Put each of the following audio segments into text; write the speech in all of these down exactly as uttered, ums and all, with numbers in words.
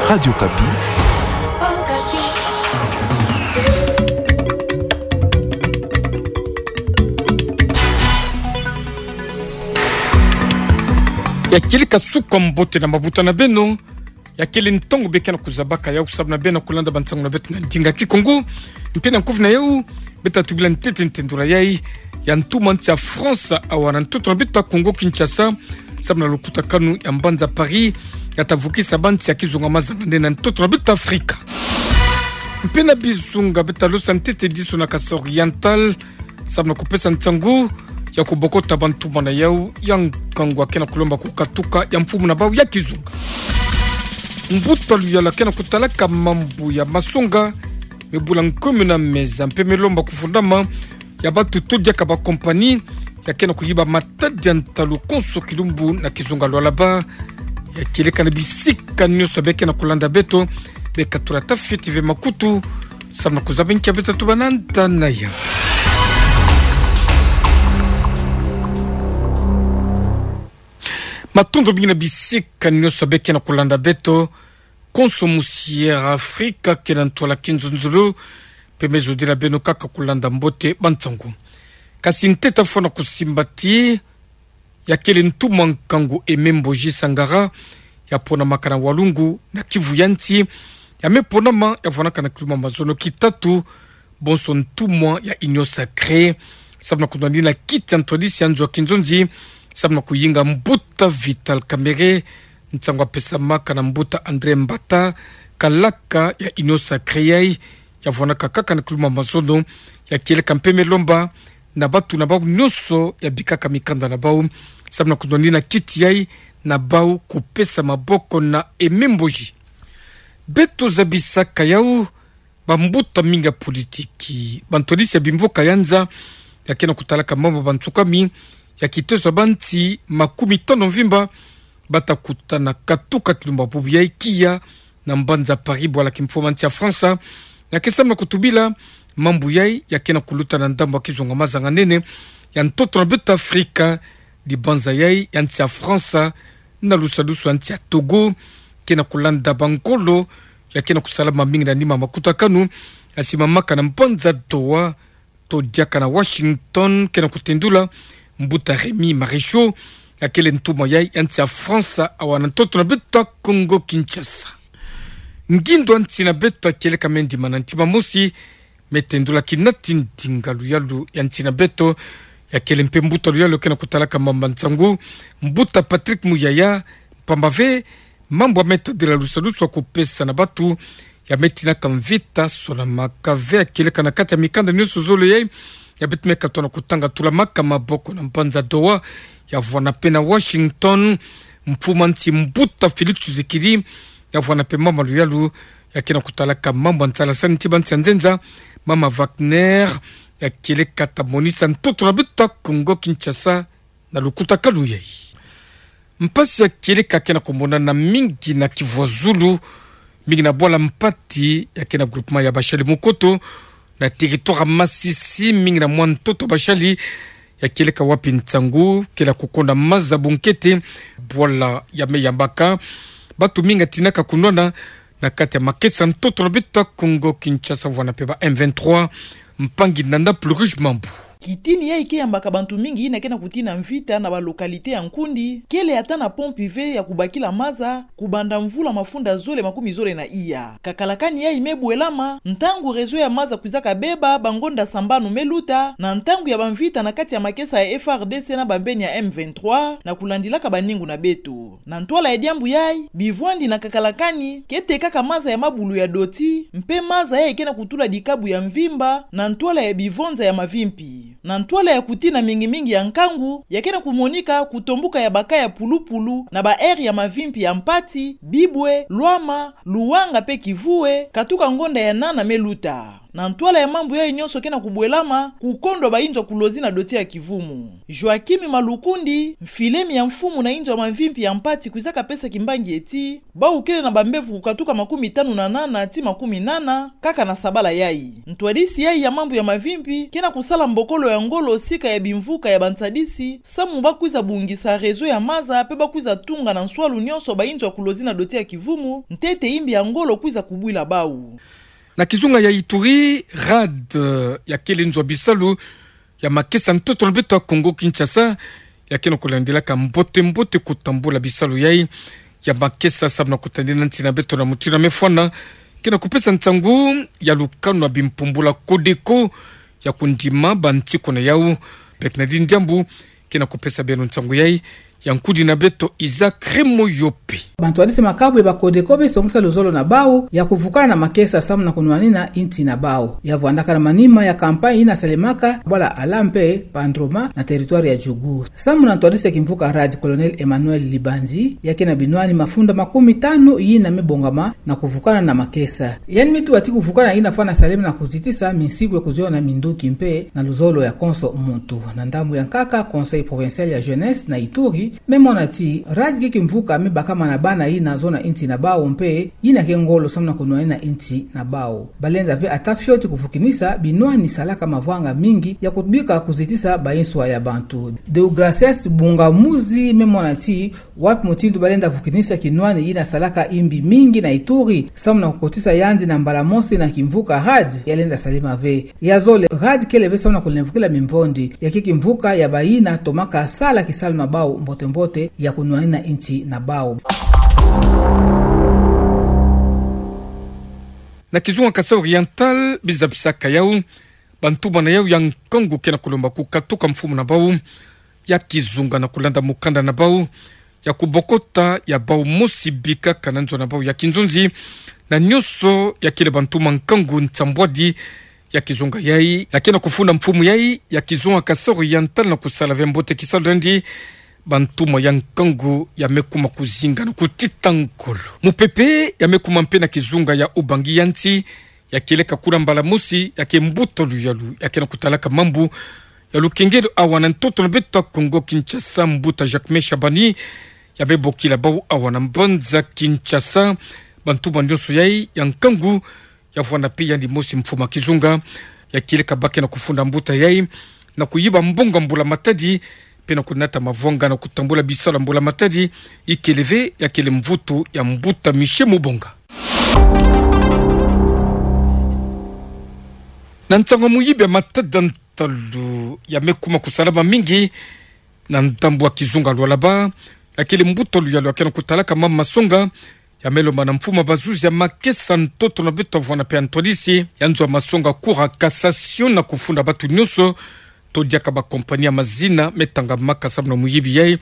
Radio Okapi. Ya kieleka suka mbote na mabuta na beno. Ya kele ntangu bê ke na kuzabaka yawu sababu na bê na kulanda bansangu na beto na ndinga Kikongo. Mpe na nkufi na yawu, bê ta tubila ntete ntendula yayi ya ntumwa nsi ya France awa na ntoto na beto Kongo Kinshasa, sababu na lukutakanu ya mbanza Paris, ya ta vukisa bansi ya kizunga mazanane na ntoto na beto Afrika. Mpe na bizunga bê ta losa ntete diso na Kasaï Oriental, sababu na kupesa nsangu ya kubokota bantumwa na yawu ya nkangu ya ke na kulomba kukatuka ya mfumu na bawu ya kizunga. Mbuta luyalu ya ke na kutalaka mambu ya masonga me bula nkumbu na meza mpe me lomba kufundama ya batutu diaka ba compagnie ya ke na kuyiba matadi ya ntalu konso kilumbu na kizunga lwalaba. Ya kieleka na bisika nyonso bê ke na kulanda beto, bê katula tafiti ve makutu, sababu na kuzaba nki bê ta tuba na nta na yawu. Matondo mingi na bisika nyonso bê ke na kulanda beto, konso musi Air Afrika ke na ntwala kinzonzolo, mpe me zodila beno kaka kulanda mbote bansangu. Kasi ntete fo na kusimba ti ya kele ntumwa nkangu Aimé Mboji Sangara, ya ponamaka na Walungu na Kivu ya nsi, ya me ponama ya vwanaka na kiluma mazono kitatu, bonso ntumwa ya Union Sacrée, sababu na kunwanina kiti ya ntwadisi ya nzo ya kinzonzi, sababu na kuyinga mbuta Vital Kamerhe, nsangu ya pesamaka na mbuta André Mbata, kalaka ya Union Sacrée yayi, ya vwanaka kaka na kiluma mazono, ya kieleka mpe me lomba na batu na bawu nyonso ya bikaka mikanda na bawu, sababu na kunwanina kiti yayi na bawu kupesa maboko na Aimé Mboji. Beto zabisaka yawu, bambuta mingi ya politiki, bantwadisi ya bimvuka ya nza, ya ke na kutalaka mambu ya bansukami, ya kiteso ya bansi makumi tano mvimba, ba ta kutana katuka kilumbu bubu yayi kiya na mbanza Paris, bwala kimfumu nsi ya France, ya ke sababu na kutubila mambu yayi ya ke na kuluta na ndambu ya kizunga mazanganene ya ntoto na beto Afrika, dibanza yayi ya nsi ya France, na lusalusu ya nsi ya Togo, ke na kulanda bangolo ya ke na kusalama mingi na nima makutakanu ya simamaka na mbanza Doha, to diaka na Washington, ke na kutendula mbuta Rémy Maréchal, ya kele ntumwa yayi ya nsi ya France awa na ntoto na beto Kongo Kinshasa. Ngindo ya nsi na beto ya kieleka me ndima na ntima mosi, me tendula kina ti ndinga luyalu ya nsi na beto, ya kele mpe mbuta luyalu ke na kutalaka mambu ya nsangu, mbuta Patrick Muyaya, mpamba ve mambu ya me tadila lusalusu ya kupesa na batu, ya me tinaka mvita sonamaka ve ya kieleka na kati ya mikanda nyonso zole yayi, ya beto me katoa na kutanga, tulamaka maboko na mbanza Doha, ya vwana mpe na Washington, mfumu nsi mbuta Félix Tshisekedi, ya vwana mpe mama luyalu ya ke na kutalaka mambu ya nsalasani ti bansi ya nzenza, mama Wagner, ya kieleka ta monisa ntoto na beto Kongo Kinshasa na lukutakanu yayi. Mpasi ya kieleka ke na kumonana mingi na Kivu ya Zulu, mingi na bwala Mpati ya ke na groupement ya Bashali Mukoto, na territoire ya Masisi, mingi na mwa ntoto Bashali, ya kieleka wapi nsangu ke na kukonda maza bunkete, bwala ya me yambaka batu mingi ya tinaka kunwana na kati ya makesa ntoto na beto Kongo Kinshasa, vwana mpe ba M vingt-trois, mpangi Nana Plurish Mambu. Kitini yayi ke yambaka bantu mingi yina ke na kutina mvita na ba localité ya nkundi, kele ata na pompe ve ya kubakila maza, kubanda mvula mafunda zole makumi zole na iya. Kakalakani yayi me bwelama ntangu réseau ya maza kwizaka beba bangonda sambanu me luta, na ntangu ya bamvita na kati ya makesa ya F A R D C na bambeni ya M vingt-trois, na kulandilaka baningu na beto. Na ntwala ya diambu yayi, bivwandi na kakalakani ke tekaka maza ya mabulu ya doti, mpe maza yayi ke na kutula dikabu ya mvimba na ntwala ya bivonza ya mavimpi. Na ntwala ya kutina mingi-mingi ya nkangu, ya ke na kumonika kutombuka ya baka ya pulupulu na ba aire ya mavimpi ya Mpati, Bibwe, Lwama, Luwanga mpe Kivue, katuka ngonda ya nana me luta. Na ntwala ya mambu yayi nyonso ke na kubwelama, kukondwa ba inzo ya kulozi na doti ya kivumu. Joaquim Malukundi, mfilemi ya mfumu na inzo ya mavimpi ya Mpati, kwiza kapesa kimbangi ti, bawu kele na bambevo kukatuka makumi tanu na nana ti makumi nana, kaka na sabala yayi. Ntwadisi yayi ya mambu ya mavimpi ke na kusala mbokolo ya ngolo sika ya bimvuka ya bantadisi, samu ba kwiza bungisa réseau ya maza, mpe ba kwiza tunga na nswalu nyonso ba inzo ya kulozi na doti ya kivumu, ntete imbi ya ngolo kwiza kubwila bawu. Na kizunga ya Ituri, RAD, ya kele nzo ya bisalu ya makesa ntoto na beto ya Kongo Kinshasa, ya ke na kulandilaka mbote-mbote kutambula bisalu yayi ya makesa samu na kutadina nsi na beto na mutindu ya mefwana, ke na kupesa nsangu ya lukanu ya bimpumbula Codeco ya kundima bantikuna yawu. Bernardine Diambu ke na kupesa beno nsangu yayi, ya nkudi na beto Isaac Remoyope. Bantwadisi makabu ya ba Codeco be songisa luzolo na bawu ya kuvukana na makesa samu na kunwanina insi na bawu. Ya vwandaka na manima ya campagne yina salemaka bwala Ala mpe Bandroma na territoire ya Djugu. Samu na ntwadisi ya kimvuka RAD, Colonel Emmanuel Libanzi, ya ke na binwani mafunda makumi tanu yina mebongama na kuvukana na makesa. Yandi mituba ti kuvukana yina fwana salama na kuzitisa minsiku ya kuziona minduki mpe na luzolo ya konso muntu. Na ndambu ya nkaka, Conseil Provincial ya Jeunesse na Ituri memona ti RAD ke kimvuka mebakama na bana yina zona insi na bawu mpe yina ke ngolo samu na kunwanina insi na bawu. Balenda ve ata fioti kuvukinisa binwani salaka mavwanga mingi ya kubika kuzitisa ba inswa ya bantu. Deogracias Bungamuzi memona ti wapi mutindu balenda vukinisa kinwani yina salaka imbi mingi na Ituri, samu na kukotisa yandi na mbala mosi na kimvuka RAD, ya lenda salama ve. Ya zole, RAD kele ve samu na kulemvukila mimvondi, ya ke kimvuka ya bayina tomaka sala kisalu na bawu mbote-mbote ya kunwanina insi na bawu. Na kizunga Kasaï Oriental, biza bisaka yawu, bantu bana yawu ya nkangu ke na kulomba kukatuka mfumu na bawu ya kizunga na kulanda mukanda na bawu ya kubokota ya bawu mosi bikaka na nzo na bawu ya kinzonzi, na nyonso ya kele bantu ma nkangu nsambwadi ya kizunga yayi, ya ke na kufunda mfumu yayi ya kizunga Kasaï Oriental na kusala ve mbote kisalu yandi, bantu ma ya nkangu ya mekuma kuzinga na kutita nkolo. Mupepe ya mekuma mpe na kizunga ya Ubangi ya nsi, ya kieleka kuna mbala mosi, ya ke mbuta luyalu ya ke na kutalaka mambu ya lukengelo awa na ntoto na beto ya Kongo Kinshasa, mbuta Jacquemain Shabani, ya mebokila bawu awa na mbanza Kinshasa, bantu ba nyonso yayi ya nkangu ya vwanda mpe yandi mosi mfumu ya kizunga, ya kieleka ba ke na kufunda mbuta yayi na kuyiba mbongo ya mbulamatadi, mpe na kunata mavwanga na kutambula bisalu ya mbulamatadi, ikele ve ya kele mvutu ya mbuta Michel Mubonga. Na nsangu ya muyibi ya matada ntalu ya mekuma kusalama mingi na ndambu ya kizunga Lualaba, ya kele mbuta luyalu ya ke na kutalaka mambu ma songa, ya melomba na mfumu ya bazuzi ya makesa ntoto na beto ya vwanda mpe ya ntwadisi ya nzo ya masonga Cour ya Cassation na kufunda batu nyonso to diaka ba compagnie ya mazina metangamaka samu na muyibi yayi.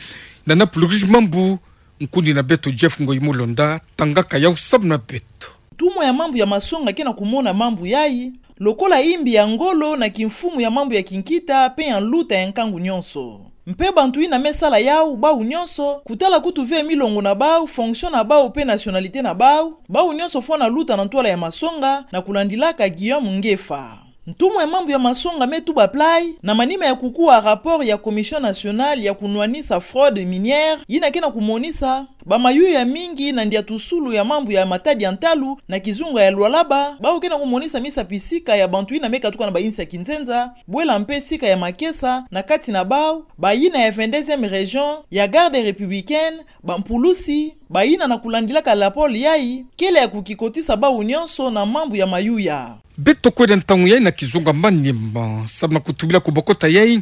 Na napulukishi mambu, nkundi na beto Jeff Ngoyi Mulonda tangaka yawu samu na beto. Ntumwa ya mambu ya masonga ke na kumona mambu yayi lokola imbi ya ngolo na kimfumu ya mambu ya kinkita mpe ya nluta ya nkangu nyonso. Mpe bantu yina mesala yawu, bawu nyonso, kutala kutu ve milongo na bawu, fonction na bawu mpe nationalité na bawu, bawu nyonso fwana luta na ntwala ya masonga, na kulandilaka Guillaume Ngefa. Ntumwa ya mambu ya masonga Metuba Play, na manima ya kukuwa rapport ya Commission nationale ya kunwanisa fraude minière, yina ke na kumonisa bamayuya mingi na ndiatusulu ya mambu ya matadi ya ntalu na kizunga ya Lualaba, bawu ke na kumonisa misapi sika ya bantu yina mekatuka na ba insi ya kinzenza, bwela mpe sika ya makesa, na kati na bawu, bayina ya vingt-deuxième région, ya Garde républicaine, bampulusi, bayina na kulandilaka lapole yayi, kele ya kukikotisa bawu nyonso na mambu ya mayuya. Beto kwenda ntangu yayi na kizunga Maniema, samu na kutubila kubokota yayi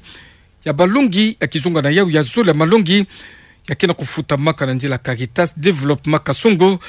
ya balongi ya kizunga na yawu ya zole ya malongi, ya ke na kufutamaka na nzila Caritas Développement Kasongo,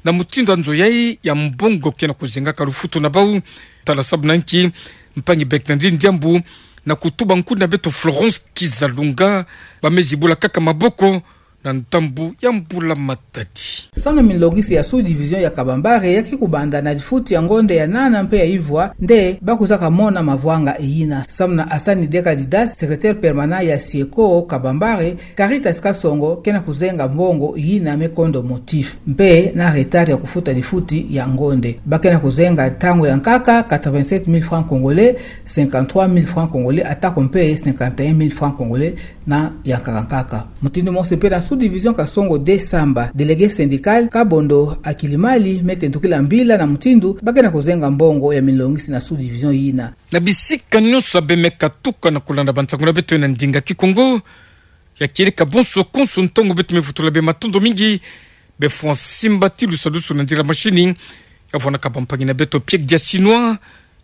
na mutindu ya nzo yayi ya mbongo ke na kuzengaka lufutu na bawu. Tala samu na nki mpangi Bernardine Diambu na kutuba nkundi na beto Florence Kizalunga, ba mezi bula kaka maboko na ndambu ya mbula matadi. Samu na minlongisi ya sous-division ya Kabambare ya ki kubanda na difuti ya ngonde ya nana mpe ya ivwa nde ba kuzaka mona mavwanga eyina. Samu na Hassan Dekadidas, secrétaire permanent ya SIECO Kabambare, Caritas Kasongo, ke na kuzenga mbongo eyina me kondo motif mpe na retard ya kufuta difuti ya ngonde. Ba ke na kuzenga ntangu ya nkaka quatre-vingt-sept mille francs congolais, cinquante-trois mille francs congolais, atako mpe cinquante et un mille francs congolais na ya nkaka nkaka. Mutindu mosi mpe na sous-division Kasongo deux Samba, délégué syndical Kabondo Akilimali, me tendukila mbila na mutindu ba ke na kuzenga mbongo ya minlongisi na sous-division yina. Na bisika nyonso bemeka tuka na kulanda bansangu na beto na ndinga Kikongo, ya kieleka bonso konso ntangu beto me vutula bematondo mingi, be fwa simba ti lusalusu na nzila mashini, ya vwanaka bampangi na beto Pierre Diasinois,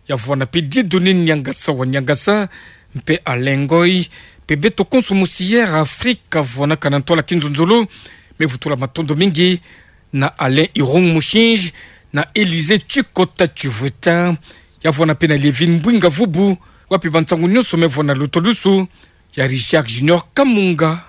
ya vwana mpe Dieudonné Niangasa wa Niangasa, mpe Alain Ngoy, mpe beto konso mosi Air Afrique, ya vwanaka na ntwala kinzonzolo, me vutula matondo mingi, na Alain Irung Mushinji, na Élysée Chikota Chivueta, ya vwana mpe na Lévin Mbwinga Vubu, wapi bansangu nyonso me vwana lutolusu, ya Richard Junior Kamunga,